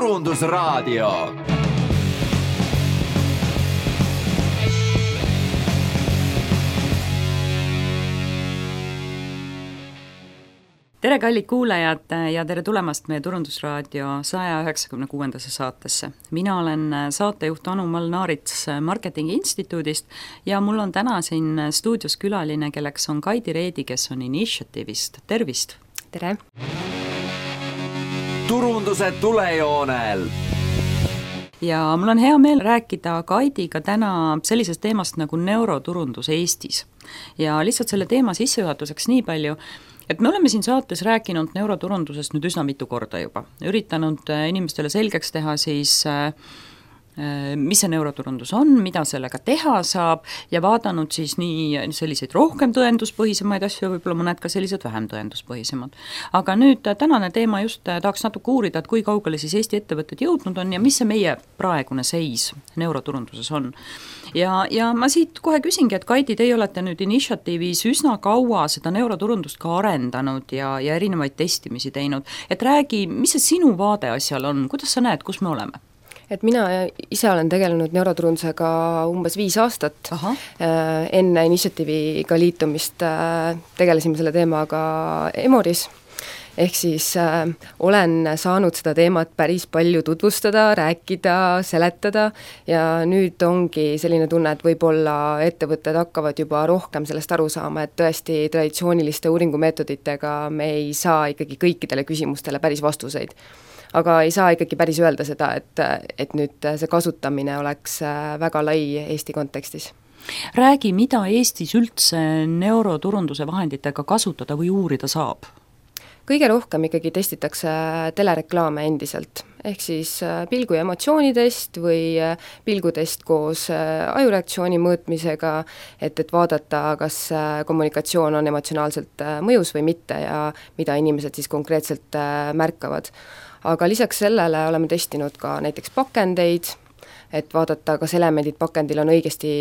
Turundusraadio. Tere kallid kuulajad ja tere tulemast meie Turundusraadio 196. saatesse. Mina olen saatejuht Anu Mall-Naarits Marketingi Instituudist ja mul on täna siin stuudios külaline, kelleks on Kaidi Reedi, kes on Initiative'ist. Tervist! Tere! Turunduse tulejoonel! Ja mul on hea meel rääkida Kaidiga täna sellisest teemast nagu neuroturundus Eestis. Ja lihtsalt selle teema sissejuhatuseks nii palju, et me oleme siin saates rääkinud neuroturundusest nüüd üsna mitu korda juba. Üritanud inimestele selgeks teha siis, mis see neuroturundus on, mida sellega teha saab ja vaadanud siis nii selliseid rohkem tõenduspõhisemaid asju, võib-olla mõned ka sellised vähem tõenduspõhisemad. Aga nüüd tänane teema just tahaks natuke uurida, et kui kaugele siis Eesti ettevõtted jõudnud on ja mis see meie praegune seis neuroturunduses on. Ja ma siit kohe küsingi, et Kaidi, teie olete nüüd Initiative'is üsna kaua seda neuroturundust ka arendanud ja erinevaid testimisi teinud. Et räägi, mis see sinu vaade asjal on, kuidas sa näed, kus me oleme? Et mina ise olen tegelenud neuroturundusega umbes 5 aastat. Enne Initiative'iga liitumist tegelesime selle teemaga Emoris. Ehk siis olen saanud seda teemat päris palju tutvustada, rääkida, seletada ja nüüd ongi selline tunne, et võib-olla ettevõtted hakkavad juba rohkem sellest aru saama, et tõesti traditsiooniliste uuringumeetoditega me ei saa ikkagi kõikidele küsimustele päris vastuseid. Aga ei saa ikkagi päris öelda seda, et nüüd see kasutamine oleks väga lai Eesti kontekstis. Räägi, mida Eestis üldse neuroturunduse vahenditega kasutada või uurida saab? Kõige rohkem ikkagi testitakse telereklaame endiselt, ehk siis pilgu- ja emotsioonitest või pilgutest koos ajureaktsiooni mõõtmisega, et vaadata, kas kommunikatsioon on emotsionaalselt mõjus või mitte ja mida inimesed siis konkreetselt märkavad. Aga lisaks sellele oleme testinud ka näiteks pakendeid, et vaadata, kas elemendid pakendil on õigesti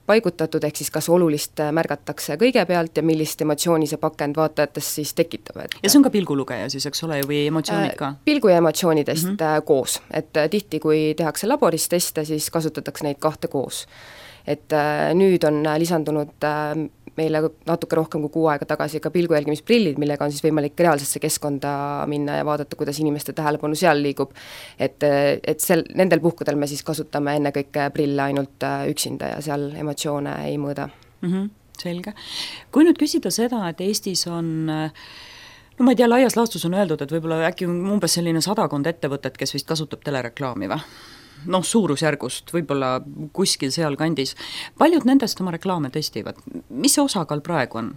paigutatud, ehk siis kas olulist märgatakse kõigepealt ja millist emotsiooni see pakend vaatajatest siis tekitab. Ja see on ka pilgulugeja siis, eks ole, või emotsioonid ka? Pilgu- ja emotsioonidest koos, et tihti, kui tehakse laboris teste, siis kasutatakse neid 2 koos. Et nüüd on lisandunud meile natuke rohkem kui 6 aega tagasi ka pilgujälgimisprillid, millega on siis võimalik reaalsesse keskkonda minna ja vaadata, kuidas inimeste tähelepanu seal liigub. Et nendel puhkudel me siis kasutame ennekõike prille ainult üksinda ja seal emotsioone ei mõõda. Selge. Kui nüüd küsida seda, et Eestis on no ma ei tea, laias laastus on öeldud, et võib-olla äkki umbes selline 100 ettevõtet, kes vist kasutab telereklaami või? Noh, suurusjärgust, võib-olla kuskil seal kandis. Paljud nendest oma reklaame testivad. Mis see osakaal praegu on?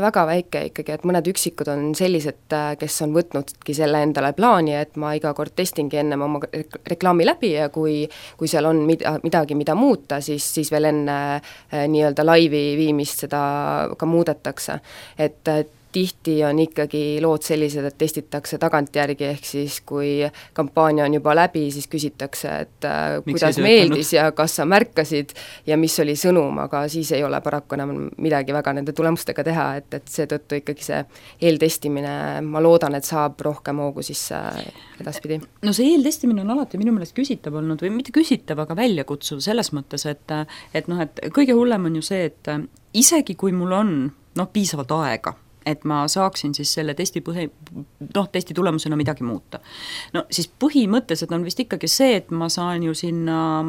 Väga väike ikkagi, et mõned üksikud on sellised, kes on võtnudki selle endale plaani, et ma iga kord testingi enne oma reklaami läbi ja kui seal on midagi, mida muuta, siis veel enne nii-öelda laivi viimist seda ka muudetakse. Et tihti on ikkagi lood sellised, et testitakse tagantjärgi, ehk siis kui kampaania on juba läbi, siis küsitakse, et kuidas meeldis ja kas sa märkasid ja mis oli sõnum, aga siis ei ole paraku enam midagi väga nende tulemustega teha, et seetõttu ikkagi see eeltestimine, ma loodan, et saab rohkem hoogu sisse edaspidi. No see eeltestimine on alati minu meelest küsitav olnud, või mitte küsitav, aga väljakutsuv selles mõttes, et kõige hullem on ju see, et isegi kui mul on piisavalt aega, et ma saaksin siis selle testi tulemusena midagi muuta. No siis põhimõtteliselt on vist ikkagi see, et ma saan ju sinna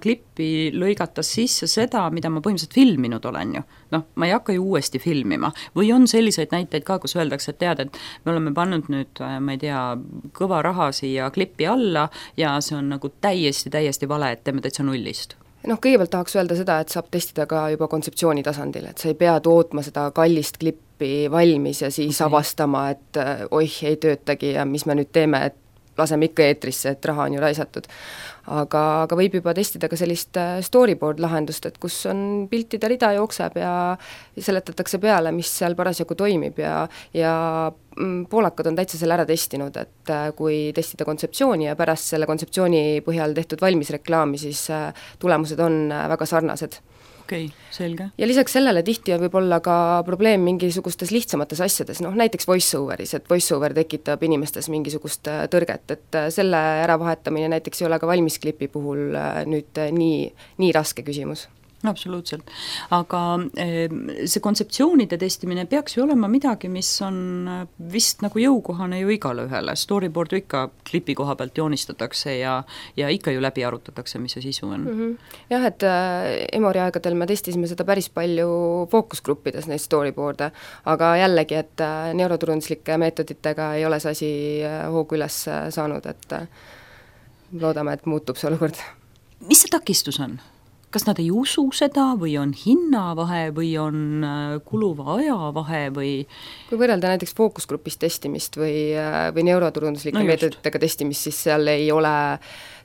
klippi lõigata sisse seda, mida ma põhimõtteliselt filminud olen ju. Ma ei hakka ju uuesti filmima. Või on selliseid näiteid ka, kus öeldakse, et tead, et me oleme pannud nüüd, ma ei tea, kõva raha siia klippi alla ja see on nagu täiesti vale, et teeme täitsa nullist. Kõigepealt tahaks öelda seda, et saab testida ka juba kontseptsiooni tasandil, et sa ei pea tootma seda kallist klippi valmis ja siis avastama, et ei töötagi ja mis me nüüd teeme, et laseme ikka eetrisse, et raha on ju raisatud. Aga võib juba testida ka sellist storyboard lahendust, et kus on piltide rida jookseb ja seletatakse peale, mis seal parasjagu toimib ja poolakad on täitsa selle ära testinud, et kui testida kontseptsiooni ja pärast selle kontseptsiooni põhjal tehtud valmis reklaami, siis tulemused on väga sarnased. okei, selge. Ja lisaks sellele tihti võib olla ka probleem mingisugustes lihtsamates asjades, noh näiteks voice-overis, et voice-over tekitab inimestes mingisugust tõrget, et selle äravahetamine näiteks ei ole ka valmisklipi puhul nüüd nii raske küsimus. Absoluutselt, aga see kontseptsioonide testimine peaks ju olema midagi, mis on vist nagu jõukohane ju igale ühele, storyboard ju ikka klipi koha pealt joonistatakse ja ikka ju läbi arutatakse, mis see sisu on. Jah, et Emori aegadel me testisime seda päris palju fookusgruppides, neid storyboard'e, aga jällegi, et neuroturunduslike meetoditega ei ole see asi hoogu üles saanud, et loodame, et muutub see olukord. Mis see takistus on? Kas nad ei usu seda või on hinnavahe või on kuluva aja vahe või? Kui võrrelda näiteks fookusgrupis testimist või neuroturunduslike meetoditega testimist, siis seal ei ole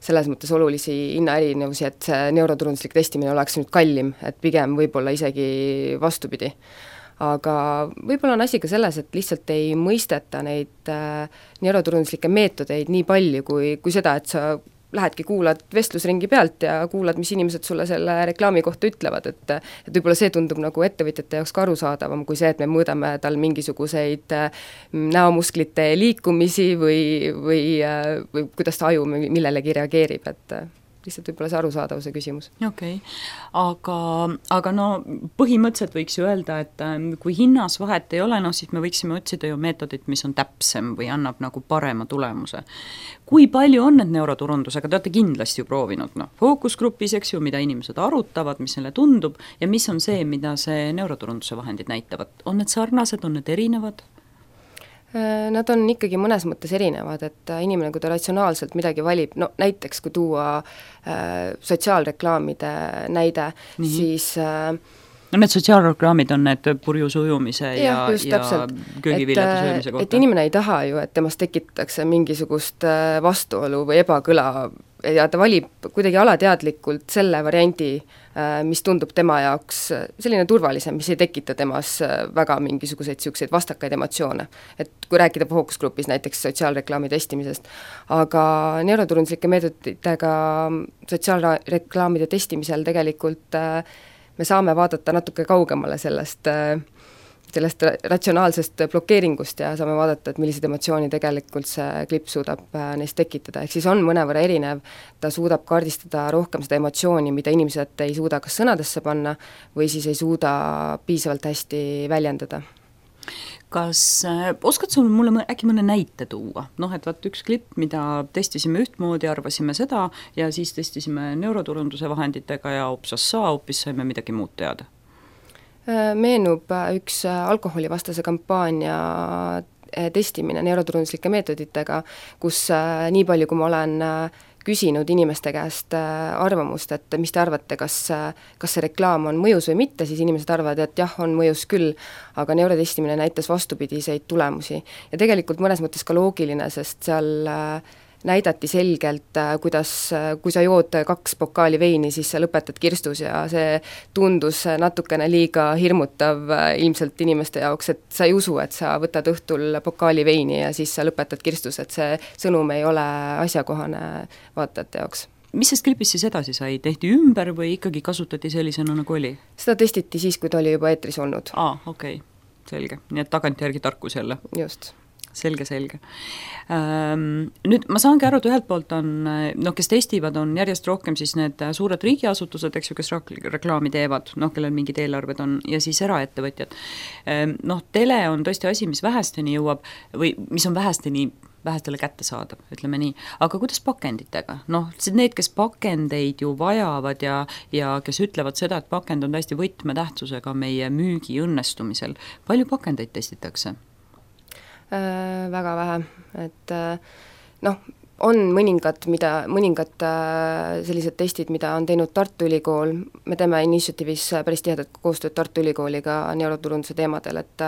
selles mõttes olulisi hinnaerinevusi, et see neuroturunduslik testimine oleks nüüd kallim, et pigem võib-olla isegi vastupidi. Aga võib-olla on asi ka selles, et lihtsalt ei mõisteta neid neuroturunduslikke meetodeid nii palju kui seda, et sa lähedki, kuulad vestlusringi pealt ja kuulad, mis inimesed sulle selle reklaami kohta ütlevad, et võib-olla see tundub nagu ettevõtjate jaoks ka arusaadavam kui see, et me mõõdame tal mingisuguseid näomusklite liikumisi või kuidas ta aju millelegi reageerib, et lihtsalt võib-olla see arusaadavuse küsimus. Okei. Aga no põhimõtteliselt võiks ju öelda, et kui hinnas vahet ei ole, siis me võiksime otsida ju meetodit, mis on täpsem või annab nagu parema tulemuse. Kui palju on need neuroturundusega, te olete kindlasti ju proovinud, fookusgrupis, eks ju, mida inimesed arutavad, mis neile tundub ja mis on see, mida see neuroturunduse vahendid näitavad? On need sarnased, on need erinevad? Nad on ikkagi mõnes mõttes erinevad, et inimene, kui ta ratsionaalselt midagi valib, no näiteks kui tuua sotsiaalreklaamide näide, siis no need sotsiaalreklaamid on need purjus ujumise ja köögiviljade söömise kohta. Et inimene ei taha ju, et temast tekitatakse mingisugust vastuolu või ebakõla ja ta valib kuidagi alateadlikult selle variandi, mis tundub tema jaoks selline turvalisem, mis ei tekita temas väga mingisuguseid selliseid vastakaid emotsioone. Et kui rääkida fookusgrupis näiteks sotsiaalreklaami testimisest, aga neuroturunduslike meetoditega sotsiaalreklaamide testimisel tegelikult me saame vaadata natuke kaugemale sellest ratsionaalsest blokeeringust ja saame vaadata, et millised emotsiooni tegelikult see klipp suudab neist tekitada. Ehk siis on mõnevõrra erinev, ta suudab kaardistada rohkem seda emotsiooni, mida inimesed ei suuda kas sõnadesse panna või siis ei suuda piisavalt hästi väljendada. Kas oskad sul mulle äkki mõne näite tuua? Et vaat üks klipp, mida testisime ühtmoodi, arvasime seda ja siis testisime neuroturunduse vahenditega ja hoopis saime midagi muud teada. Meenub üks alkoholivastase kampaania testimine neuroturunduslike meetoditega, kus nii palju, kui ma olen küsinud inimeste käest arvamust, et mis te arvate, kas see reklaam on mõjus või mitte, siis inimesed arvavad, et jah, on mõjus küll, aga neurotestimine näitas vastupidiseid tulemusi. Ja tegelikult mõnes mõttes ka loogiline, sest seal näidati selgelt, kui sa jood 2 pokaali veini, siis sa lõpetad kirstus ja see tundus natukene liiga hirmutav ilmselt inimeste jaoks, et sa ei usu, et sa võtad õhtul pokaali veini ja siis sa lõpetad kirstus, et see sõnum ei ole asjakohane vaatajate jaoks. Mis sest klipis siis edasi sai? Tehti ümber või ikkagi kasutati sellisena nagu oli? Seda testiti siis, kui ta oli juba eetris olnud. Okei, selge. Nii et tagantjärgi tarkus jälle. Just. Selge. Nüüd ma saangi aru, et ühelt poolt on, kes testivad, on järjest rohkem siis need suured riigiasutused, eks ju, kes reklaami teevad, kellel mingid eelarved on, ja siis eraettevõtjad. Tele on tõesti asi, mis vähesteni jõuab või mis on vähestele kätte saada, ütleme nii. Aga kuidas pakenditega? Need, kes pakendeid ju vajavad ja kes ütlevad seda, et pakend on täiesti võtmetähtsusega meie müügi õnnestumisel. Palju pakendeid testitakse? Väga vähe, et on mõningad sellised testid, mida on teinud Tartu Ülikool, me teeme Initiative'is päris tihedat koostööd Tartu Ülikooliga neuroturunduse teemadel, et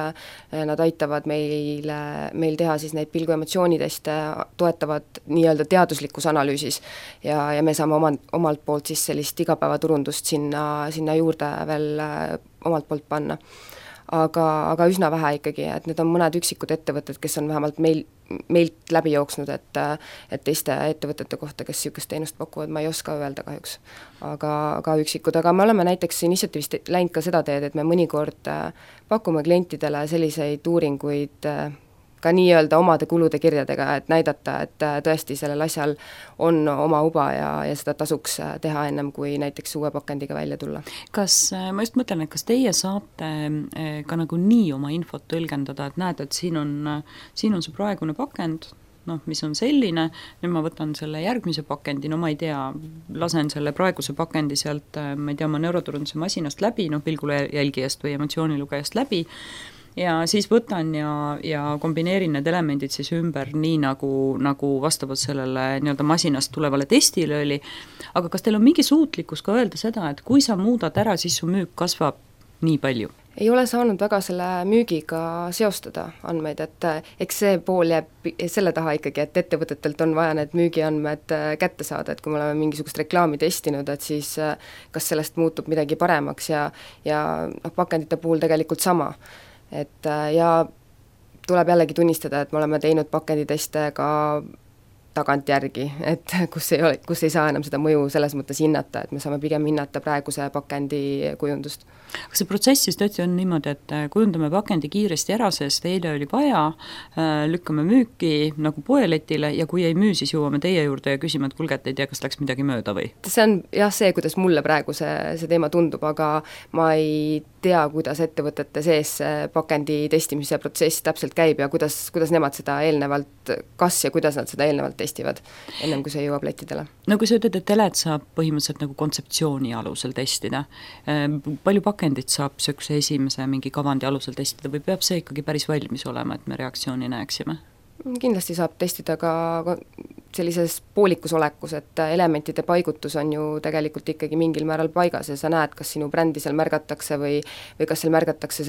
nad aitavad meil teha siis neid pilguemotsiooniteste, toetavad nii-öelda teaduslikus analüüsis ja me saame omalt poolt siis sellist igapäevaturundust sinna juurde veel omalt poolt panna. aga üsna vähe ikkagi, et need on mõned üksikud ettevõtted, kes on vähemalt meilt läbi jooksnud, et teiste ettevõtete kohta, kes niisugust teenust pakuvad, ma ei oska öelda kahjuks. Aga üksikud, aga me oleme näiteks initsiatiivist läinud ka seda teed, et me mõnikord pakume klientidele selliseid uuringuid ka nii-öelda omade kulude kirjadega, et näidata, et tõesti sellel asjal on oma uba ja seda tasuks teha ennem, kui näiteks uue pakendiga välja tulla. Kas, ma just mõtlen, et kas teie saate ka nagu nii oma infot tõlgendada, et näed, et siin on see praegune pakend, mis on selline, nüüd ma võtan selle järgmise pakendi, ma ei tea, lasen selle praeguse pakendi sealt, ma ei tea, oma neuroturunduse masinast läbi, pilgulejälgijast või emotsioonilugejast läbi, ja siis võtan ja kombineerin need elemendid siis ümber nii, nagu vastavalt sellele nii-öelda masinast tulevale testile oli, aga kas teil on mingi suutlikkus ka öelda seda, et kui sa muudad ära, siis su müük kasvab nii palju? Ei ole saanud väga selle müügiga seostada andmeid, et eks see pool jääb selle taha ikkagi, et ettevõtetelt on vaja need müügiandmed kätte saada, et kui me oleme mingisugust reklaami testinud, et siis kas sellest muutub midagi paremaks ja pakendite puhul tegelikult sama. Et ja tuleb jällegi tunnistada, et me oleme teinud pakenditeste ka tagantjärgi, et kus ei saa enam seda mõju selles mõttes hinnata, et me saame pigem hinnata praeguse pakendi kujundust. Kas see protsess siis tõesti on niimoodi, et kujundame pakendi kiiresti ära, sest eile oli vaja, lükkame müüki nagu poeletile ja kui ei müü, siis jõuame teie juurde ja küsime, et kulge, et ei tea, kas läks midagi mööda või? See on jah see, kuidas mulle praegu see teema tundub, aga ma ei tea, kuidas ettevõtete sees pakendi testimise protsess täpselt käib ja kuidas nemad seda eelnevalt, kas ja kuidas nad seda eelnevalt testivad, ennem kui see jõuab lettidele. No kui sa ütled, et telet saab põhimõtteliselt nagu kontseptsiooni alusel testida, palju pakendit saab sökse esimese mingi kavandi alusel testida või peab see ikkagi päris valmis olema, et me reaktsiooni näeksime? Kindlasti saab testida ka sellises poolikus olekus, et elementide paigutus on ju tegelikult ikkagi mingil määral paigas ja sa näed, kas sinu brändi seal märgatakse või kas seal märgatakse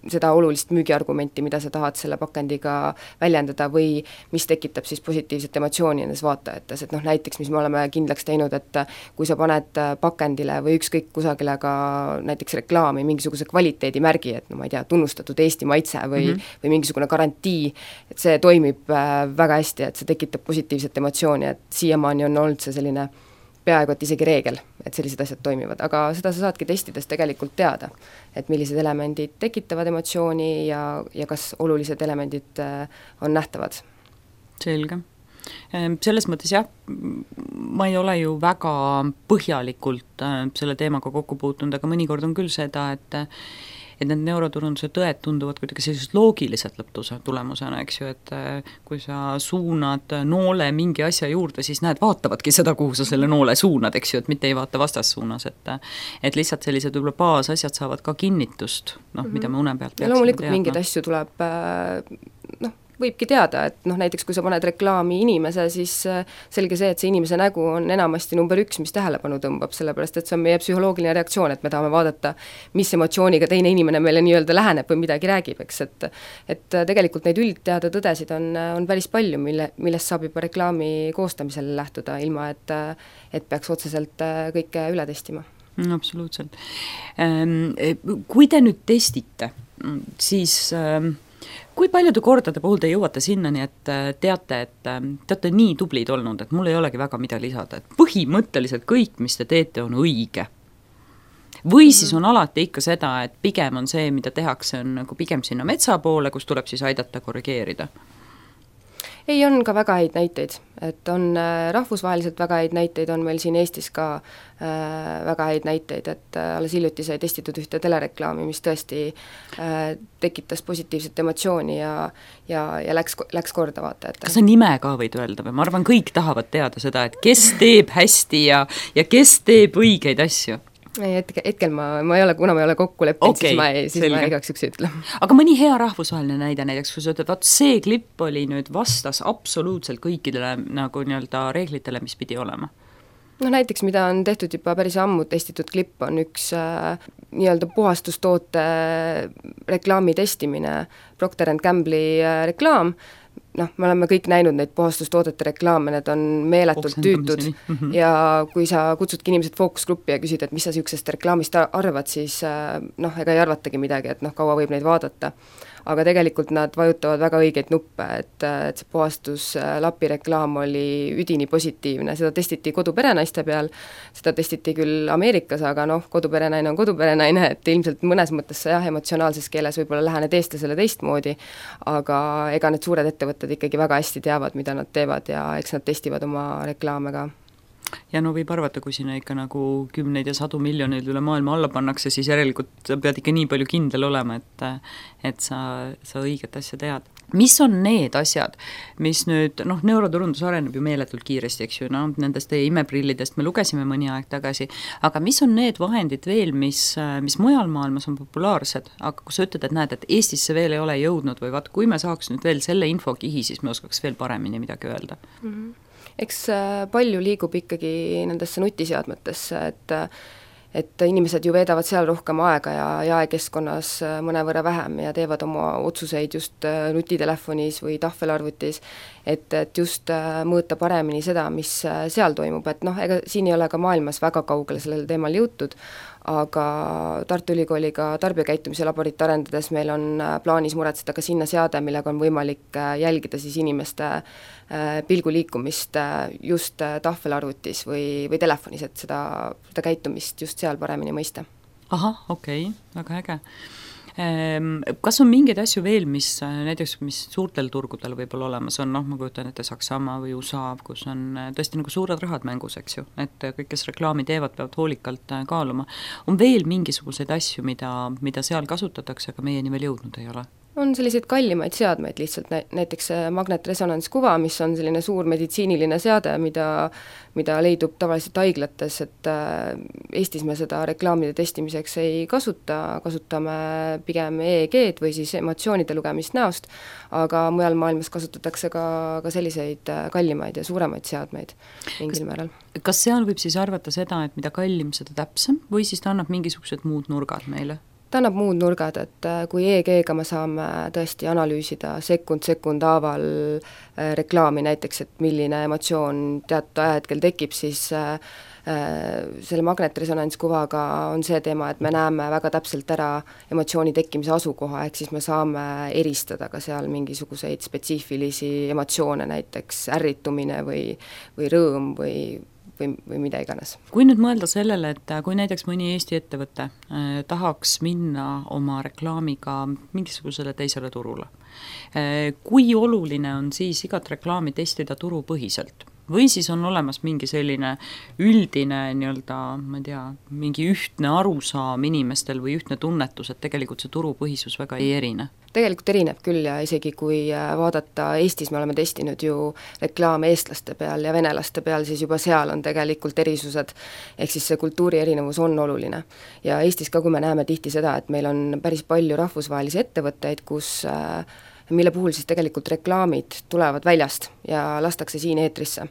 seda olulist müügiargumenti, mida sa tahad selle pakendiga väljendada või mis tekitab siis positiivset emotsiooni nendes vaatajates, et näiteks, mis me oleme kindlaks teinud, et kui sa paned pakendile või ükskõik kusagile ka näiteks reklaami mingisuguse kvaliteedimärgi, et ma ei tea, tunnustatud Eesti maitse või mingisugune garantii, et see toimib väga hästi, et see tekitab positiivset emotsiooni, et siiamaani on olnud see selline peaaegu et isegi reegel, et sellised asjad toimivad, aga seda sa saadki testides tegelikult teada, et millised elemendid tekitavad emotsiooni ja kas olulised elemendid on nähtavad. Selge. Selles mõttes jah, ma ei ole ju väga põhjalikult selle teemaga kokku puutunud, aga mõnikord on küll seda, et need neuroturunduse tõed tunduvad kuidagi sellised loogilised lõpptulemusena, eks ju, et kui sa suunad noole mingi asja juurde, siis näed, vaatavadki seda, kuhu sa selle noole suunad, eks ju, et mitte ei vaata vastassuunas, et lihtsalt sellised võib-olla baasasjad saavad ka kinnitust, mida me une pealt peaksime loomulikult teadma. Mingeid asju tuleb võibki teada, et näiteks kui sa paned reklaami inimese, siis selge see, et see inimese nägu on enamasti number 1, mis tähelepanu tõmbab, sellepärast et see on meie psühholoogiline reaktsioon, et me tahame vaadata, mis emotsiooniga teine inimene meile nii-öelda läheneb või midagi räägib, eks, et tegelikult neid üldteada tõdesid on päris palju, millest saab juba reklaami koostamisel lähtuda, ilma et peaks otseselt kõike üle testima. Absoluutselt. Kui te nüüd testite, siis kui paljude kordade puhul te jõuate sinnani, et teate, et te olete nii tublid olnud, et mul ei olegi väga mida lisada, et põhimõtteliselt kõik, mis te teete, on õige? Või siis on alati ikka seda, et pigem on see, mida tehakse, on nagu pigem sinna metsa poole, kus tuleb siis aidata korrigeerida? Ei, on ka väga häid näiteid, et on rahvusvaheliselt väga häid näiteid, on meil siin Eestis ka väga häid näiteid, et alles hiljuti sai testitud ühte telereklaami, mis tõesti tekitas positiivset emotsiooni ja läks korda vaatajate. Kas sa nime ka võid öelda või? Ma arvan, kõik tahavad teada seda, et kes teeb hästi ja kes teeb õigeid asju. Hetkel ma ei ole, kuna ma ei ole kokku leppinud, siis ma igaks üks ütle. Aga mõni hea rahvusvaheline näide näiteks, kui sa ütled, vaat see klipp oli nüüd vastas absoluutselt kõikidele nagu nii-öelda reeglitele, mis pidi olema? Näiteks, mida on tehtud juba päris ammu testitud klipp, on üks nii-öelda puhastustoote reklaami testimine, Procter & Gamble'i reklaam, noh, me oleme kõik näinud neid puhastustoodete reklaame, need on meeletult tüütud ja kui sa kutsudki inimesed fookusgruppi ja küsid, et mis sa niisugusest reklaamist arvad, siis noh, ega ei arvatagi midagi, et noh, kaua võib neid vaadata. Aga tegelikult nad vajutavad väga õigeid nuppe, et see puhastuslapi reklaam oli üdini positiivne, seda testiti koduperenaiste peal, seda testiti küll Ameerikas, aga noh, koduperenaine on koduperenaine, et ilmselt mõnes mõttes sa jah, emotsionaalses keeles võib-olla lähened eestlasele teistmoodi, aga ega need suured ettevõtted ikkagi väga hästi teavad, mida nad teevad ja eks nad testivad oma reklaame ka. Ja no võib arvata, kui sinna ikka nagu 10 ja 100 miljoneid üle maailma alla pannakse, siis järelikult pead ikka nii palju kindel olema, et sa õiget asja tead. Mis on need asjad, mis nüüd, noh, neuroturundus areneb ju meeletult kiiresti, eks ju, noh, nendest teie imeprillidest me lugesime mõni aeg tagasi, aga mis on need vahendid veel, mis mujal maailmas on populaarsed, aga kui sa ütled, et näed, et Eestisse veel ei ole jõudnud või vaat, kui me saaks nüüd veel selle infokihi, siis me oskaks veel paremini midagi öelda. Eks palju liigub ikkagi nendesse nutiseadmetesse, et inimesed ju veedavad seal rohkem aega ja jaekeskkonnas mõnevõrra vähem ja teevad oma otsuseid just nutitelefonis või tahvelarvutis, et just mõõta paremini seda, mis seal toimub, et noh, ega siin ei ole ka maailmas väga kaugele sellel teemal jõutud, aga Tartu Ülikooliga tarbijakäitumise laborit arendades meil on plaanis muretseda ka sinna seade, millega on võimalik jälgida siis inimeste pilguliikumist just tahvelarvutis või telefonis, et seda käitumist just seal paremini mõista. Ahah, okei, väga äge. Kas on mingeid asju veel, mis näiteks, mis suurtel turgudel võib-olla olemas on, noh, ma kujutan ette Saksamaa või USA, kus on tõesti nagu suured rahad mängus, eks ju, et kõik, kes reklaami teevad, peavad hoolikalt kaaluma. On veel mingisuguseid asju, mida seal kasutatakse, aga meieni veel jõudnud ei ole? On selliseid kallimaid seadmeid lihtsalt, näiteks magnetresonantskuva, mis on selline suur meditsiiniline seade, mida leidub tavaliselt haiglates, et Eestis me seda reklaamide testimiseks ei kasutame pigem EEG-d või siis emotsioonide lugemist näost, aga mujal maailmas kasutatakse ka selliseid kallimaid ja suuremaid seadmeid mingil määral. Kas seal võib siis arvata seda, et mida kallim, seda täpsem või siis ta annab mingisugused muud nurgad meile? Ta annab muud nurgad, et kui EEG-ga me saame tõesti analüüsida sekund haaval reklaami näiteks, et milline emotsioon teatud ajahetkel tekib, siis selle magnetresonantskuvaga on see teema, et me näeme väga täpselt ära emotsiooni tekkimise asukoha, ehk siis me saame eristada ka seal mingisuguseid spetsiifilisi emotsioone, näiteks ärritumine või rõõm või mida iganes. Kui nüüd mõelda sellele, et kui näiteks mõni Eesti ettevõte tahaks minna oma reklaamiga mingisugusele teisele turule, kui oluline on siis igat reklaami testida turupõhiselt? Või siis on olemas mingi selline üldine nii-öelda, ma ei tea, mingi ühtne arusaam inimestel või ühtne tunnetus, et tegelikult see turupõhisus väga ei erine? Tegelikult erineb küll ja isegi kui vaadata, Eestis me oleme testinud ju reklaame eestlaste peal ja venelaste peal, siis juba seal on tegelikult erisused, ehk siis see kultuuri erinevus on oluline. Ja Eestis ka, kui me näeme tihti seda, et meil on päris palju rahvusvahelisi ettevõtteid, mille puhul siis tegelikult reklaamid tulevad väljast ja lastakse siin eetrisse,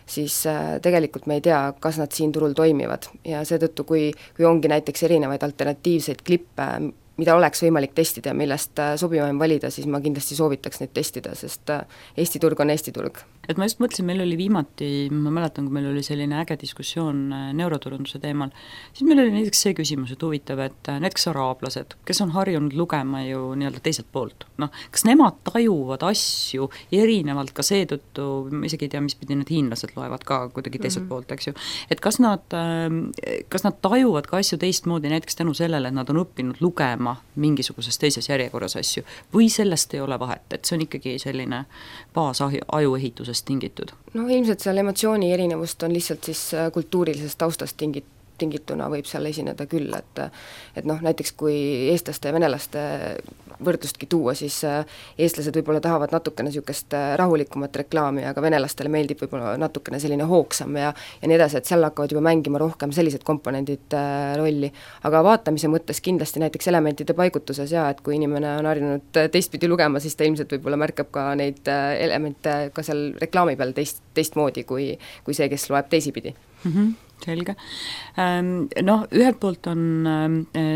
siis tegelikult me ei tea, kas nad siin turul toimivad ja seetõttu, kui ongi näiteks erinevaid alternatiivseid klippe, mida oleks võimalik testida ja millest sobivaim valida, siis ma kindlasti soovitaks neid testida, sest Eesti turg on Eesti turg. Et ma just mõtlesin, meil oli viimati, ma mäletan, kui meil oli selline äge diskussioon neuroturunduse teemal, siis meil oli näiteks see küsimus, et huvitav, et näiteks araablased, kes on harjunud lugema ju nii-öelda teiselt poolt, noh, kas nemad tajuvad asju erinevalt ka seetõttu, ma isegi ei tea, mis pidi need hiinlased loevad ka kuidagi teiselt poolt, eks ju, et kas nad tajuvad ka asju teistmoodi näiteks tänu sellele, et nad on õppinud lugema mingisuguses teises järjekorras asju või sellest ei ole vahet, et see on ikkagi selline baasajuehitusest tingitud? No ilmselt seal emotsiooni erinevust on lihtsalt siis kultuurilisest taustast tingituna võib seal esineda küll, et noh, näiteks kui eestlaste ja venelaste võrdlustki tuua, siis eestlased võib-olla tahavad natukene niisugust rahulikumat reklaami, aga venelastele meeldib võib-olla natukene selline hoogsam ja nii edasi, et seal hakkavad juba mängima rohkem sellised komponendid rolli. Aga vaatamise mõttes kindlasti näiteks elementide paigutuses ja et kui inimene on harjunud teistpidi lugema, siis ta ilmselt võib-olla märkab ka neid elemente ka seal reklaami peal teistmoodi kui see, kes loeb teisipidi. Selge. Noh, ühelt poolt on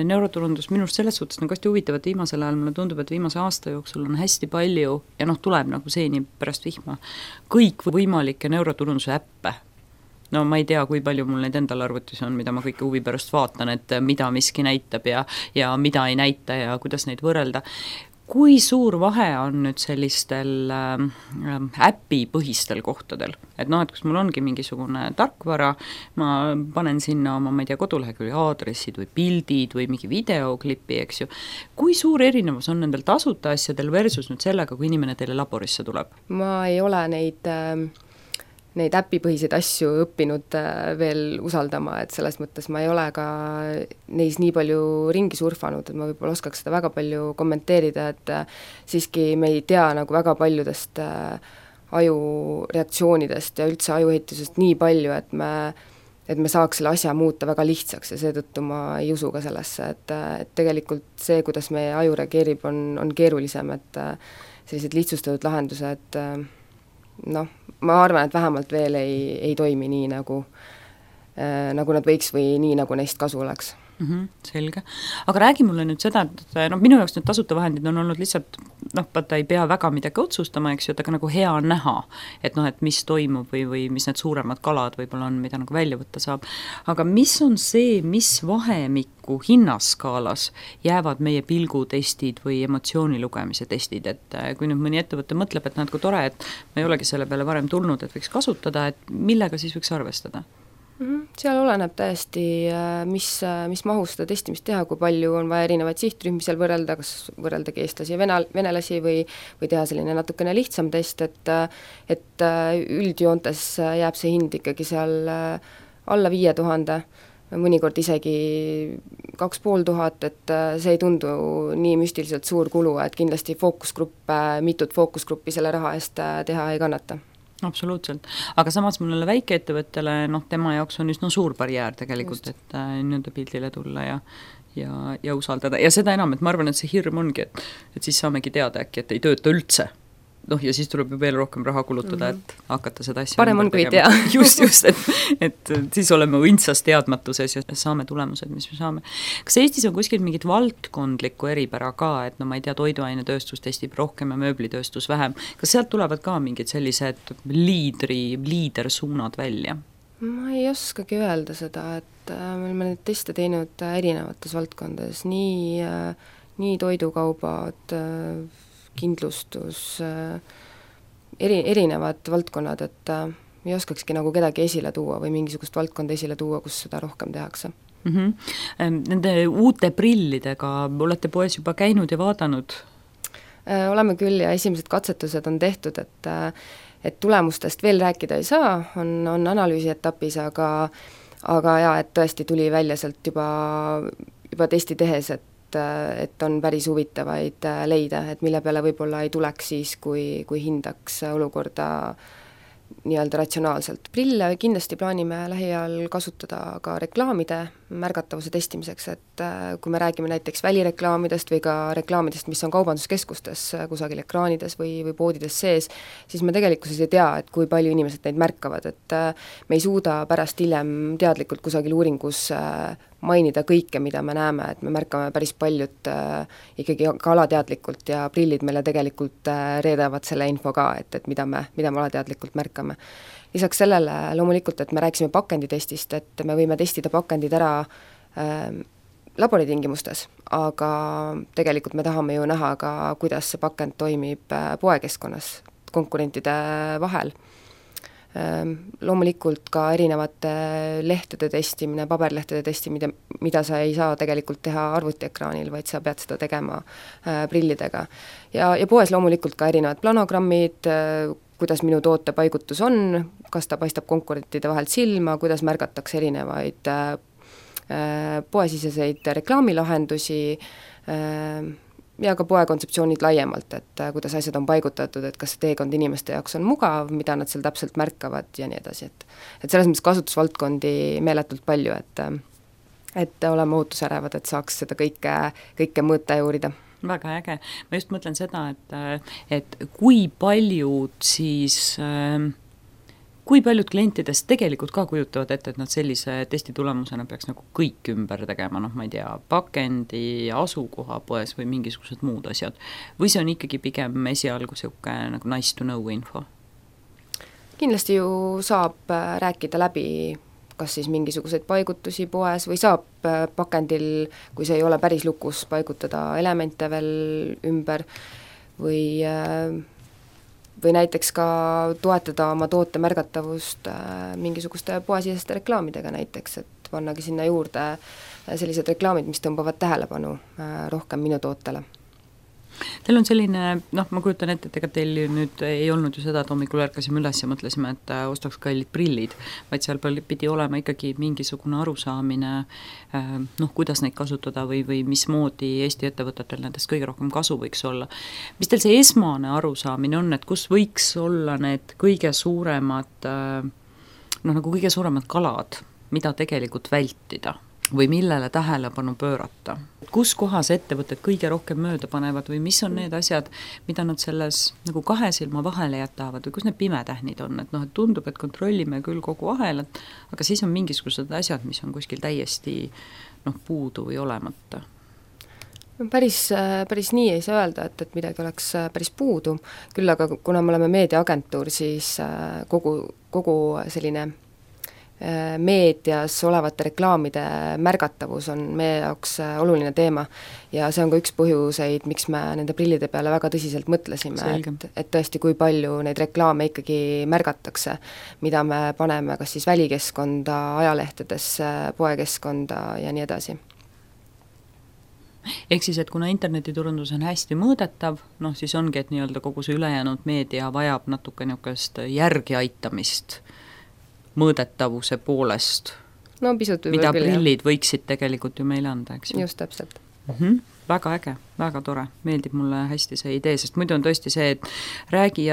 neuroturundus minu arust selles suhtes nagu hästi huvitav, et viimasel ajal mulle tundub, et viimase aasta jooksul on hästi palju ja noh, tuleb nagu seeni pärast vihma kõik võimalikke neuroturunduse äppe. No ma ei tea, kui palju mul neid endal arvutis on, mida ma kõike huvi pärast vaatan, et mida miski näitab ja mida ei näita ja kuidas neid võrrelda. Kui suur vahe on nüüd sellistel äpipõhistel kohtadel? Et noh, et kus mul ongi mingisugune tarkvara, ma panen sinna oma, ma ei tea, kodulehekülje aadressid või pildid või mingi videoklipi, eks ju. Kui suur erinevus on nendel tasuta asjadel versus nüüd sellega, kui inimene teile laborisse tuleb? Ma ei ole neid äpipõhiseid asju õppinud veel usaldama, et selles mõttes ma ei ole ka neis nii palju ringi surfanud, et ma võib-olla oskaks seda väga palju kommenteerida, et siiski me ei tea nagu väga paljudest ajureaktsioonidest ja üldse ajuehitusest nii palju, et me saaks selle asja muuta väga lihtsaks ja seetõttu ma ei usu ka sellesse, et tegelikult see, kuidas meie aju reageerib, on keerulisem, et sellised lihtsustatud lahendused noh, ma arvan, et vähemalt veel ei toimi nii, nagu nad võiks või nii, nagu neist kasu oleks. Selge. Aga räägi mulle nüüd seda, et no, minu jaoks need tasuta vahendid on olnud lihtsalt, noh, ta ei pea väga midagi otsustama, eks ju, et aga nagu hea on näha, et noh, et mis toimub või mis need suuremad kalad võib-olla on, mida nagu välja võtta saab. Aga mis on see, mis vahemikku hinnaskaalas jäävad meie pilgutestid või emotsiooni lugemise testid, et kui nüüd mõni ettevõte mõtleb, et näed, kui tore, et ma ei olegi selle peale varem tulnud, et võiks kasutada, et millega siis võiks arvestada? Seal oleneb täiesti, mis mahus seda testimist teha, kui palju on vaja erinevaid sihtrühmi seal võrrelda, kas võrreldagi eestlasi ja venelasi või teha selline natukene lihtsam test, et üldjoontes jääb see hind ikkagi seal alla 5000, mõnikord isegi 2500, et see ei tundu nii müstiliselt suur kulu, et kindlasti mitut fookusgruppi selle raha eest teha ei kannata. Absoluutselt, aga samas mul väikeettevõttele, noh, tema jaoks on üsna suur barjäär tegelikult, et nii-öelda pildile tulla ja usaldada ja seda enam, et ma arvan, et see hirm ongi, et siis saamegi teada äkki, et ei tööta üldse. Noh, ja siis tuleb ju veel rohkem raha kulutada, et hakata seda asja parem on, kui ei tea. Just, et siis oleme õndsas teadmatuses ja saame tulemused, mis me saame. Kas Eestis on kuskil mingit valdkondlikku eripära ka, et no ma ei tea, toiduainetööstus testib rohkem ja mööblitööstus vähem. Kas sealt tulevad ka mingid sellised liidersuunad välja? Ma ei oskagi öelda seda, et me oleme neid teste teinud erinevates valdkondades, nii toidukaubad, kindlustus, erinevad valdkonnad, et ei oskakski nagu kedagi esile tuua või mingisugust valdkonda esile tuua, kus seda rohkem tehakse. Nende uute prillidega olete poes juba käinud ja vaadanud? Oleme küll ja esimesed katsetused on tehtud, et tulemustest veel rääkida ei saa, on analüüsi etapis, aga jaa, et tõesti tuli välja sealt juba testi tehes, et on päris huvitavaid leida, et mille peale võib-olla ei tuleks siis, kui hindaks olukorda nii-öelda ratsionaalselt. Prille kindlasti plaanime lähiajal kasutada ka reklaamide märgatavuse testimiseks, et kui me räägime näiteks välireklaamidest või ka reklaamidest, mis on kaubanduskeskustes kusagil ekraanides või poodides sees, siis me tegelikkuses ei tea, et kui palju inimesed neid märkavad, et me ei suuda pärast hiljem teadlikult kusagil uuringus mainida kõike, mida me näeme, et me märkame päris paljut ikkagi ka alateadlikult ja prillid meile tegelikult reedavad selle info ka, et mida me alateadlikult märkame. Lisaks sellele loomulikult, et me rääkisime pakenditestist, et me võime testida pakendid ära laboritingimustes, aga tegelikult me tahame ju näha ka, kuidas see pakend toimib poekeskkonnas konkurentide vahel. Loomulikult ka erinevate lehtede testimine, paberlehtede testimine, mida sa ei saa tegelikult teha arvutiekraanil, vaid sa pead seda tegema prillidega. Ja poes loomulikult ka erinevad planogrammid, kuidas minu toote paigutus on, kas ta paistab konkurentide vahelt silma, kuidas märgatakse erinevaid poesiseseid reklaamilahendusi ja ka poe kontseptsioonid laiemalt, et kuidas asjad on paigutatud, et kas see teekond inimeste jaoks on mugav, mida nad seal täpselt märkavad ja nii edasi, et selles mõttes kasutusvaldkondi meeletult palju, et oleme ootusärevad, et saaks seda kõike mõõta ja uurida. Väga äge. Ma just mõtlen seda, et kui paljud siis kui paljud klientidest tegelikult ka kujutavad ette, et nad sellise testi tulemusena peaks nagu kõik ümber tegema, noh ma ei tea, pakendi, asukoha poes või mingisugused muud asjad, või see on ikkagi pigem esialgu niisugune nagu nice to know info? Kindlasti ju saab rääkida läbi kas siis mingisuguseid paigutusi poes või saab pakendil, kui see ei ole päris lukus, paigutada elemente veel ümber või näiteks ka toetada oma toote märgatavust mingisuguste poesiseste reklaamidega näiteks, et pannagi sinna juurde sellised reklaamid, mis tõmbavad tähelepanu rohkem minu tootele. Teil on selline, noh, ma kujutan ette, et ega teil nüüd ei olnud ju seda, et hommikul ärkasime üles ja mõtlesime, et ostaks kallid prillid, vaid seal pidi olema ikkagi mingisugune arusaamine, noh, kuidas neid kasutada või mismoodi Eesti ettevõtetel nendest kõige rohkem kasu võiks olla. Mis teil see esmane arusaamine on, et kus võiks olla need kõige suuremad, noh, nagu kõige suuremad kalad, mida tegelikult vältida? Või millele tähelepanu pöörata? Kus kohas ettevõtted kõige rohkem mööda panevad või mis on need asjad, mida nad selles nagu kahe silma vahele jätavad või kus need pimetähnid on, et noh, et tundub, et kontrollime küll kogu ahelat, aga siis on mingisugused asjad, mis on kuskil täiesti noh, puudu või olemata. Päris nii ei saa öelda, et midagi oleks päris puudu, küll aga kuna me oleme meediaagentuur, siis kogu selline meedias olevate reklaamide märgatavus on meie jaoks oluline teema ja see on ka üks põhjuseid, miks me nende prillide peale väga tõsiselt mõtlesime, et tõesti, kui palju neid reklaame ikkagi märgatakse, mida me paneme kas siis välikeskkonda, ajalehtedesse, poekeskkonda ja nii edasi. Ehk siis, et kuna internetiturundus on hästi mõõdetav, noh siis ongi, et nii-öelda kogu see ülejäänud meedia vajab natuke niisugust järgi aitamist mõõdetavuse poolest, no, pisut mida prillid võiksid tegelikult ju meile anda, eks ju? Just täpselt. Väga äge, väga tore, meeldib mulle hästi see idee, sest muidu on tõesti see, et räägi,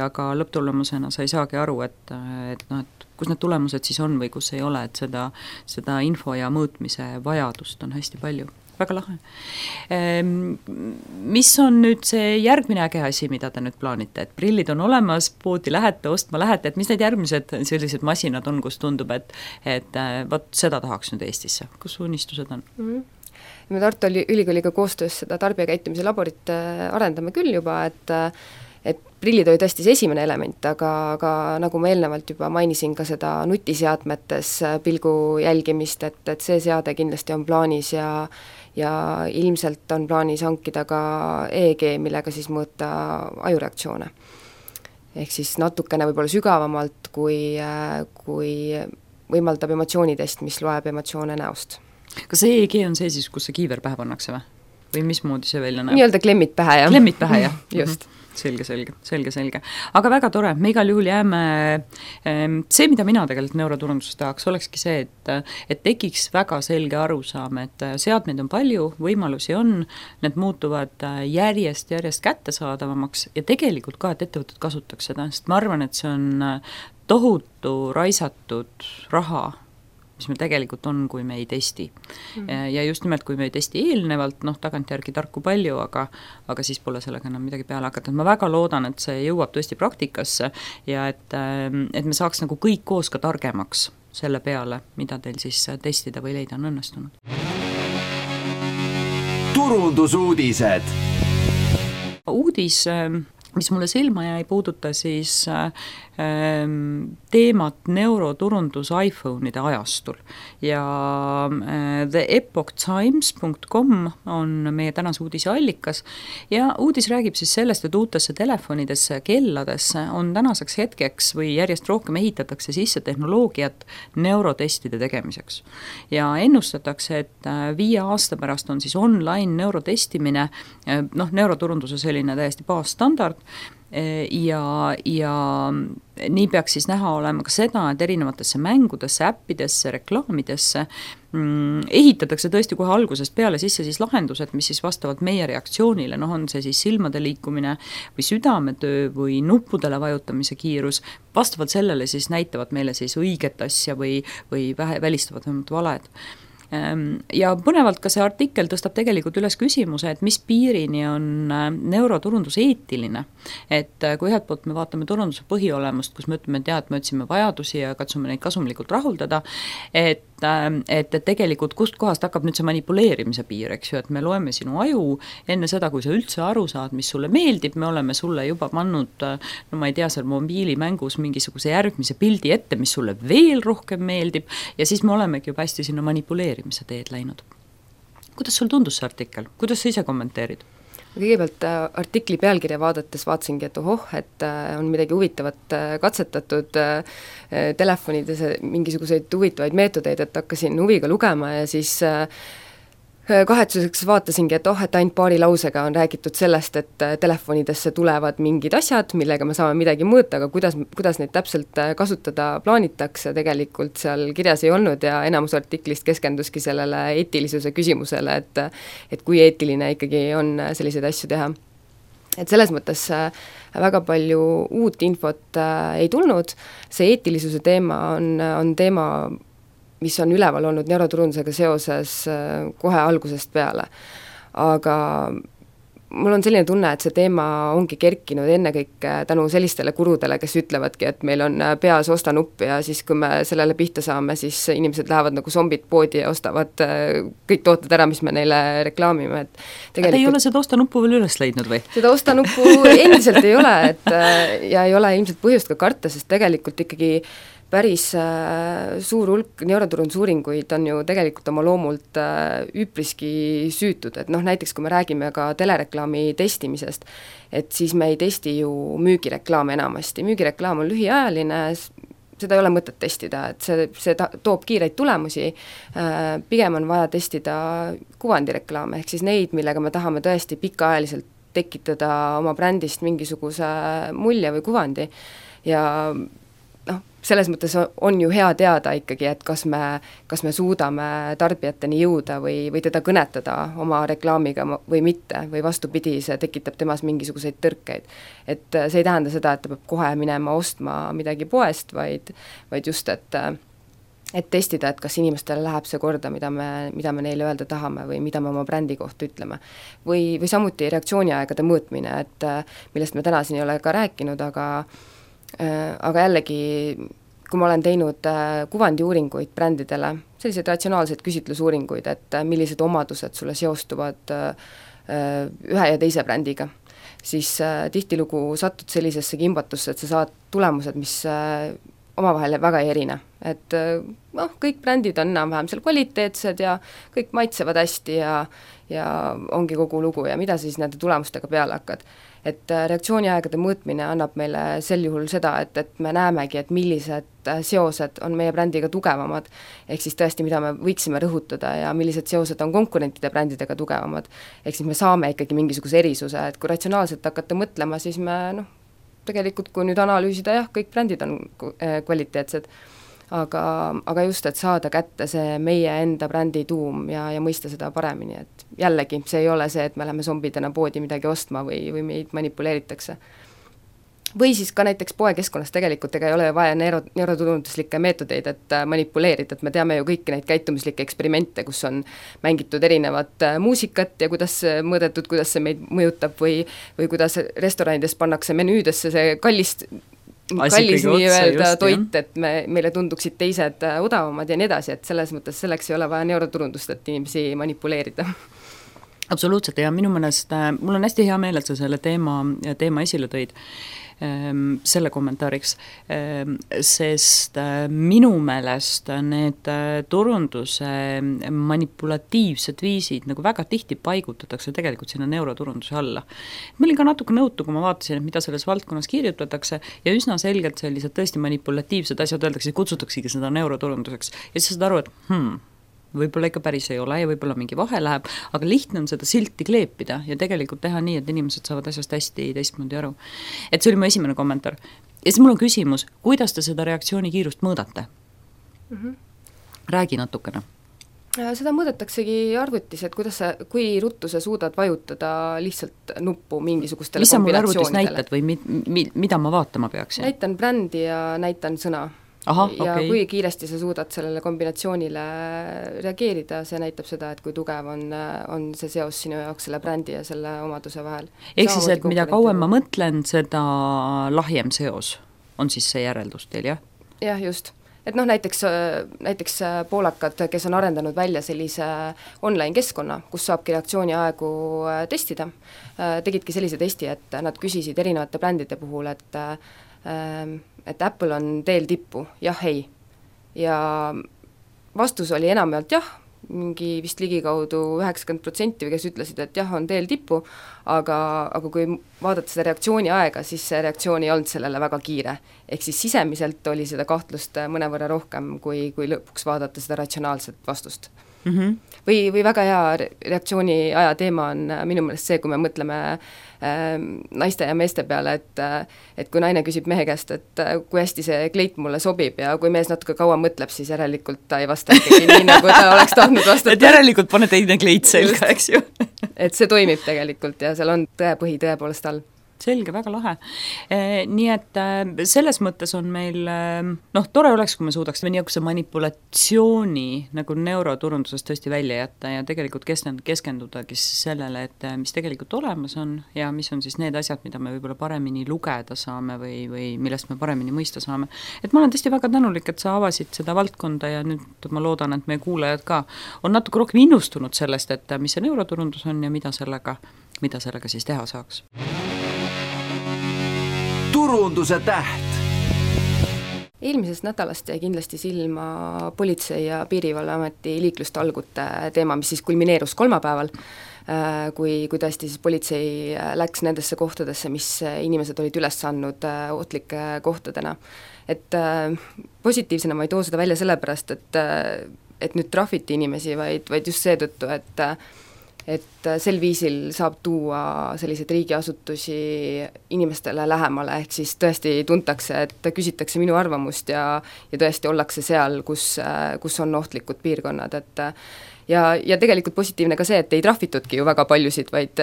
aga lõpptulemusena sa ei saagi aru, et noh, et kus need tulemused siis on või kus ei ole, et seda info ja mõõtmise vajadust on hästi palju. Väga lahe. Mis on nüüd see järgmine äge asi, mida te nüüd plaanite, et prillid on olemas, poodi lähete, ostma lähete, et mis need järgmised sellised masinad on, kus tundub, et võt, seda tahaks nüüd Eestisse, kus unistused on? Me Tartu Ülikooliga koostöös seda tarbijakäitumise laborit arendame küll juba, et prillid oli tõesti see esimene element, aga nagu ma eelnevalt juba mainisin ka seda nutiseadmetes pilgu jälgimist, et see seade kindlasti on plaanis ja ilmselt on plaanis hankida ka EEG, millega siis mõõta ajureaktsioone. Ehk siis natukene võib-olla sügavamalt, kui võimaldab emotsioonitest, mis loeb emotsioone näost. Kas EEG on see siis, kus see kiiver pähe pannakse või? Või mismoodi see välja näeb? Nii-öelda klemmid pähe, jah. Klemmid pähe, jah. Just. Selge. Aga väga tore, me igal juhul jääme, see, mida mina tegelikult neuroturunduses tahaks, olekski see, et tekiks väga selge arusaam, et seadmeid on palju, võimalusi on, need muutuvad järjest kättesaadavamaks ja tegelikult ka, et ettevõtted kasutaks seda, sest ma arvan, et see on tohutu raisatud raha, mis meil tegelikult on, kui me ei testi. Ja just nimelt, kui me ei testi eelnevalt, noh, tagantjärgi tarku palju, aga siis pole sellega enam midagi peale hakata. Ma väga loodan, et see jõuab tõesti praktikasse ja et me saaks nagu kõik koos ka targemaks selle peale, mida teil siis testida või leida on õnnestunud. Turundusuudised. Uudis, mis mulle silma jäi, puuduta siis teemat neuroturundus iPhone'ide ajastul ja theepochtimes.com on meie tänase uudise allikas ja uudis räägib siis sellest, et uutesse telefonidesse, kelladesse on tänaseks hetkeks või järjest rohkem ehitatakse sisse tehnoloogiat neurotestide tegemiseks ja ennustatakse, et 5 aasta pärast on siis online neurotestimine, noh, neuroturunduse selline täiesti baasstandard ja nii peaks siis näha olema ka seda, et erinevatesse mängudesse, äppidesse, reklaamidesse ehitatakse tõesti kohe algusest peale sisse siis lahendused, mis siis vastavalt meie reaktsioonile, noh on see siis silmade liikumine või südametöö või nuppudele vajutamise kiirus, vastavalt sellele siis näitavad meile siis õiget asja või välistavad vähemalt valed. Ja põnevalt ka see artikkel tõstab tegelikult üles küsimuse, et mis piirini on neuroturundus eetiline. Et kui ühelt poolt me vaatame turunduse põhiolemust, kus me ütleme, et et me otsime vajadusi ja katsume neid kasumlikult rahuldada, et tegelikult kust kohast hakkab nüüd see manipuleerimise piir, eks ju, et me loeme sinu aju enne seda, kui sa üldse aru saad, mis sulle meeldib, me oleme sulle juba pannud, no ma ei tea, seal mobiilimängus mingisuguse järgmise pildi ette, mis sulle veel rohkem meeldib ja siis me olemegi juba hästi sinna manipuleerimise teed läinud. Kuidas sul tundus see artikkel? Kuidas sa ise kommenteerid? Kõigepealt artikli pealkirja vaatasingi, et et on midagi huvitavat katsetatud telefonides, mingisuguseid huvitavaid meetodeid, et hakkasin huviga lugema ja siis kahetsuseks vaatasingi, et et ainult paari lausega on räägitud sellest, et telefonidesse tulevad mingid asjad, millega me saame midagi mõõta, aga kuidas neid täpselt kasutada plaanitakse, tegelikult seal kirjas ei olnud ja enamus artiklist keskenduski sellele eetilisuse küsimusele, et kui eetiline ikkagi on selliseid asju teha. Et selles mõttes väga palju uut infot ei tulnud, see eetilisuse teema on teema, mis on üleval olnud neuroturundusega seoses kohe algusest peale. Aga mul on selline tunne, et see teema ongi kerkinud ennekõike tänu sellistele kurudele, kes ütlevadki, et meil on peas osta nupp ja siis kui me sellele pihta saame, siis inimesed lähevad nagu zombid poodi ja ostavad kõik tooted ära, mis me neile reklaamime. Et tegelikult... ei ole seda osta nuppu veel üles leidnud või? Seda osta nuppu endiselt ei ole, ja ei ole ilmselt põhjust ka karta, sest tegelikult ikkagi päris suur hulk neuroturundusuuringuid on ju tegelikult oma loomult üpriski süütud, et näiteks kui me räägime ka telereklaami testimisest, et siis me ei testi ju müügireklaame enamasti, müügireklaam on lühiajaline, seda ei ole mõtet testida, et see toob kiireid tulemusi, pigem on vaja testida kuvandireklaame, ehk siis neid, millega me tahame tõesti pikaajaliselt tekitada oma brändist mingisuguse mulje või kuvandi ja selles mõttes on ju hea teada ikkagi, et kas me suudame tarbijateni jõuda või teda kõnetada oma reklaamiga või mitte, või vastupidi, see tekitab temas mingisuguseid tõrkeid. Et see ei tähenda seda, et ta peab kohe minema ostma midagi poest, vaid just, et testida, et kas inimestele läheb see korda, mida me neile öelda tahame või mida me oma brändi kohta ütleme. Või samuti reaktsiooniaegade mõõtmine, et millest me täna siin ei ole ka rääkinud, aga jällegi, kui ma olen teinud kuvandiuuringuid brändidele, selliseid ratsionaalseid küsitlusuuringuid, et millised omadused sulle seostuvad ühe ja teise brändiga, siis tihtilugu satud sellisesse kimbatusse, et sa saad tulemused, mis omavahel väga ei erine. Et kõik brändid on enam-vähem seal kvaliteetsed ja kõik maitsevad hästi ja ongi kogu lugu ja mida siis nende tulemustega peale hakkad. Et reaktsiooniaegade mõõtmine annab meile sel juhul seda, et me näemegi, et millised seosed on meie brändiga tugevamad, ehk siis tõesti, mida me võiksime rõhutada ja millised seosed on konkurentide brändidega tugevamad, ehk siis me saame ikkagi mingisuguse erisuse, et kui ratsionaalselt hakata mõtlema, siis me tegelikult kui nüüd analüüsida, jah, kõik brändid on kvaliteetsed, aga just, et saada kätte see meie enda brändi tuum ja mõista seda paremini, et jällegi, see ei ole see, et me läheme zombidena poodi midagi ostma või meid manipuleeritakse. Või siis ka näiteks poekeskkonnas tegelikult ega ei ole vaja neuroturunduslikke meetodeid, et manipuleerida, et me teame ju kõiki neid käitumislikke eksperimente, kus on mängitud erinevat muusikat ja kuidas mõõdetud, kuidas see meid mõjutab või kuidas restoranides pannakse menüüdesse see kallis nii-öelda toit, et meile tunduksid teised odavamad ja nii edasi, et selles mõttes selleks ei ole vaja neuroturundust, et inimesi manipuleerida. Absoluutselt ja minu meelest, mul on hästi hea meel, et sa selle teema esile tõid selle kommentaariks, sest minu meelest need turunduse manipulatiivsed viisid nagu väga tihti paigutatakse tegelikult sinna neuroturunduse alla. Ma olin ka natuke nõutu, kui ma vaatasin, et mida selles valdkonnas kirjutatakse ja üsna selgelt sellised tõesti manipulatiivsed asjad öeldakse, kutsutaksegi seda neuroturunduseks ja siis saad aru, et võib-olla ikka päris ei ole ja võib-olla mingi vahe läheb, aga lihtne on seda silti kleepida ja tegelikult teha nii, et inimesed saavad asjast hästi teistmoodi aru. Et see oli mu esimene kommentaar. Ja siis mul on küsimus, kuidas te seda reaktsiooni kiirust mõõdate? Räägi natukene. Seda mõõdetaksegi arvutis, et kui ruttu sa suudad vajutada lihtsalt nuppu mingisugustele kombinatsioonidele. Mis sa mul arvutis näitad või mida ma vaatama peaksin? Näitan brändi ja näitan sõna. ja kui kiiresti sa suudad sellele kombinatsioonile reageerida, see näitab seda, et kui tugev on see seos sinu jaoks selle brändi ja selle omaduse vahel. Ehk siis, et mida kauem ma mõtlen, seda lahjem seos on siis see järeldus teil, jah? Jah, just. Et näiteks poolakad, kes on arendanud välja sellise online keskkonna, kus saabki reaktsiooniaegu testida, tegidki sellise testi, et nad küsisid erinevate brändide puhul, et Apple on teel tippu, jah, ei. Ja vastus oli enamjaolt jah, mingi vist ligikaudu 90%, kes ütlesid, et jah, on teel tippu, aga kui vaadata seda reaktsiooni aega, siis see reaktsioon ei olnud sellele väga kiire. Ehk siis sisemiselt oli seda kahtlust mõnevõrra rohkem, kui lõpuks vaadata seda ratsionaalset vastust. Või väga hea reaktsiooni aja teema on minu meelest see, kui me mõtleme naiste ja meeste peale, et kui naine küsib mehe käest, et kui hästi see kleit mulle sobib ja kui mees natuke kaua mõtleb, siis järelikult ta ei vasta ikkagi nii, nagu ta oleks tahtnud vastata. Et järelikult pane teine kleit selga, eks ju. Et see toimib tegelikult ja seal on tõepõhi tõepoolest all. Selge, väga lahe. Nii et selles mõttes on meil, tore oleks, kui me suudaks niisuguse manipulatsiooni nagu neuroturundusest tõesti välja jätta ja tegelikult keskendudagi sellele, et mis tegelikult olemas on ja mis on siis need asjad, mida me võib-olla paremini lugeda saame või millest me paremini mõista saame. Et ma olen tõesti väga tänulik, et sa avasid seda valdkonda ja nüüd ma loodan, et meie kuulajad ka on natuke rohkem innustunud sellest, et mis see neuroturundus on ja mida sellega siis teha saaks. Turunduse täht. Eelmisest nädalast jäi kindlasti silma Politsei- ja Piirivalveameti liiklustalgute teema, mis siis kulmineerus kolmapäeval, kui tõesti siis politsei läks nendesse kohtadesse, mis inimesed olid üles andnud ohtlike kohtadena. Et positiivsena ma ei too seda välja sellepärast, et nüüd trahviti inimesi, vaid just seetõttu, et sel viisil saab tuua selliseid riigiasutusi inimestele lähemale, ehk siis tõesti tuntakse, et küsitakse minu arvamust ja tõesti ollakse seal, kus on ohtlikud piirkonnad, et ja tegelikult positiivne ka see, et ei trahvitudki ju väga paljusid, vaid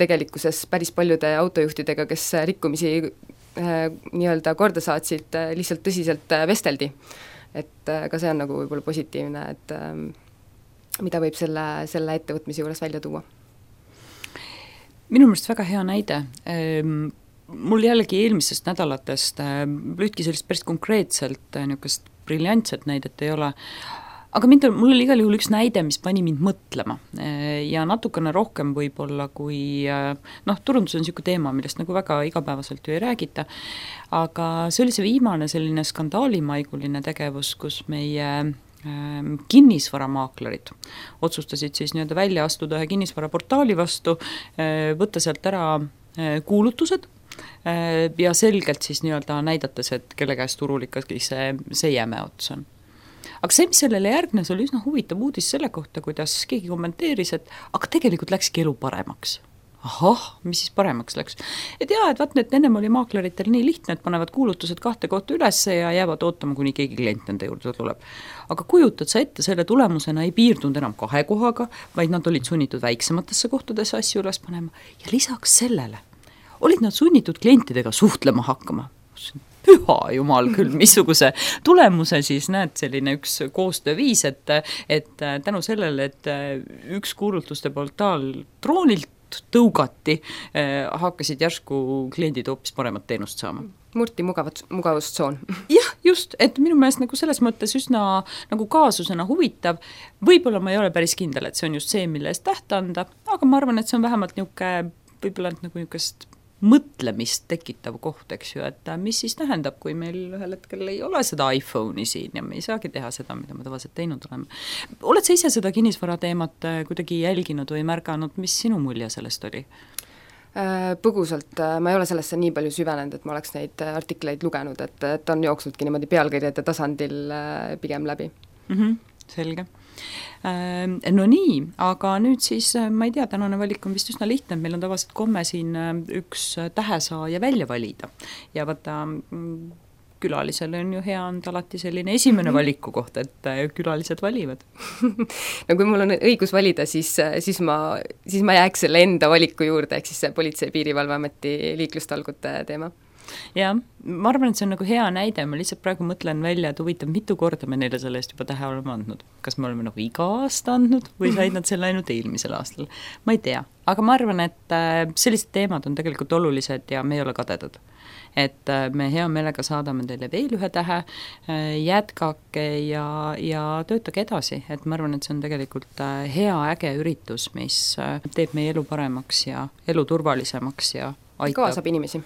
tegelikkuses päris paljude autojuhtidega, kes rikkumisi nii-öelda korda saatsid, lihtsalt tõsiselt vesteldi. Et ka see on nagu võib-olla positiivne, et mida võib selle ettevõtmise juures välja tuua? Minu meelest väga hea näide. Mul jällegi eelmisest nädalatest lühtki sellist päris konkreetselt niisugust briljantset näidet ei ole, aga mul oli igal juhul üks näide, mis pani mind mõtlema ja natukene rohkem võib-olla kui turundus on niisugune teema, millest nagu väga igapäevaselt ju ei räägita, aga see oli see viimane selline skandaalimaiguline tegevus, kus meie kinnisvaramaaklerid otsustasid siis nii-öelda välja astuda ühe kinnisvaraportaali vastu, võtta sealt ära kuulutused ja selgelt siis nii-öelda näidates, et kelle käest turul ikkagi see jäme ots on. Aga see, mis sellele järgnes, oli üsna huvitav uudis selle kohta, kuidas keegi kommenteeris, et aga tegelikult läkski elu paremaks. Ahah, mis siis paremaks läks? Et vaat need ennem oli maakleritel nii lihtne, et panevad kuulutused 2 kohta üles ja jäävad ootama, kuni keegi klient nende juurde tuleb. Aga kujutad sa ette, selle tulemusena ei piirdunud enam 2 kohaga, vaid nad olid sunnitud väiksematesse kohtadesse asju üles panema ja lisaks sellele olid nad sunnitud klientidega suhtlema hakkama. Püha jumal küll, missuguse tulemuse siis näed selline üks koostööviis, et tänu sellele, et üks kuulutuste portaal troonilt tõugati, hakkasid järsku kliendid hoopis paremat teenust saama. Murti mugavustsoon. Jah, just, et minu meelest nagu selles mõttes üsna nagu kaasusena huvitav. Võib-olla ma ei ole päris kindel, et see on just see, mille eest täht anda, aga ma arvan, et see on vähemalt võib-olla nagu niisugust mõtlemist tekitav koht, eks ju, et mis siis tähendab, kui meil ühel hetkel ei ole seda iPhone'i siin ja me ei saagi teha seda, mida me tavaliselt teinud oleme. Oled sa ise seda kinnisvara teemat kuidagi jälginud või märganud, mis sinu mulje sellest oli? Põgusalt, ma ei ole sellesse nii palju süvenenud, et ma oleks neid artikleid lugenud, et on jooksnudki niimoodi pealkirjade tasandil pigem läbi. Selge. No nii, aga nüüd siis, ma ei tea, tänane valik on vist üsna lihtne, meil on tavaliselt komme siin üks tähesaaja välja valida ja vaata, külalisele on ju hea anda alati selline esimene valiku koht, et külalised valivad. No kui mul on õigus valida, siis ma jääks selle enda valiku juurde, ehk siis see Politsei- ja Piirivalveameti liiklustalgute teema. jah, ma arvan, et see on nagu hea näide, ma lihtsalt praegu mõtlen välja, et huvitav, mitu korda me neile selle eest juba tähe oleme andnud. Kas me oleme nagu iga aasta andnud või said nad selle ainult eelmisel aastal? Ma ei tea, aga ma arvan, et sellised teemad on tegelikult olulised ja me ei ole kadedad. Et me hea meelega saadame teile veel ühe tähe, jätkake ja töötage edasi, et ma arvan, et see on tegelikult hea äge üritus, mis teeb meie elu paremaks ja elu turvalisemaks ja aitab. Kaasab inimesi.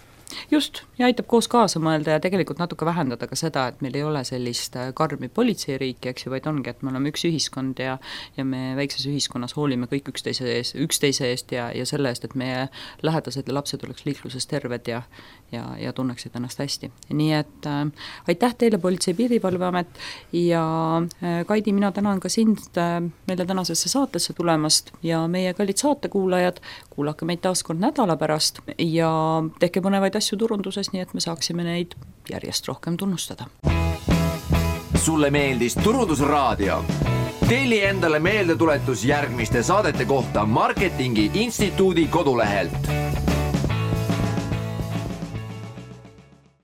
Just, ja aitab koos kaasa mõelda ja tegelikult natuke vähendada ka seda, et meil ei ole sellist karmi politseiriiki, eks ju, vaid ongi, et me oleme üks ühiskond ja me väikses ühiskonnas hoolime kõik üksteise eest ja selle eest, et meie lähedased ja lapsed oleks liikluses terved ja tunneksid ennast hästi. Nii et aitäh teile, Politsei- ja Piirivalveamet ja Kaidi, mina tänan ka sind meile tänasesse saatesse tulemast ja meie kallid saatekuulajad, kuulake meid taas kord nädala pärast ja tehke põnevaid asju turunduses, nii et me saaksime neid järjest rohkem tunnustada. Sulle meeldis Turundusraadio? Telli endale meeldetuletus järgmiste saadete kohta Marketingi Instituudi kodulehelt.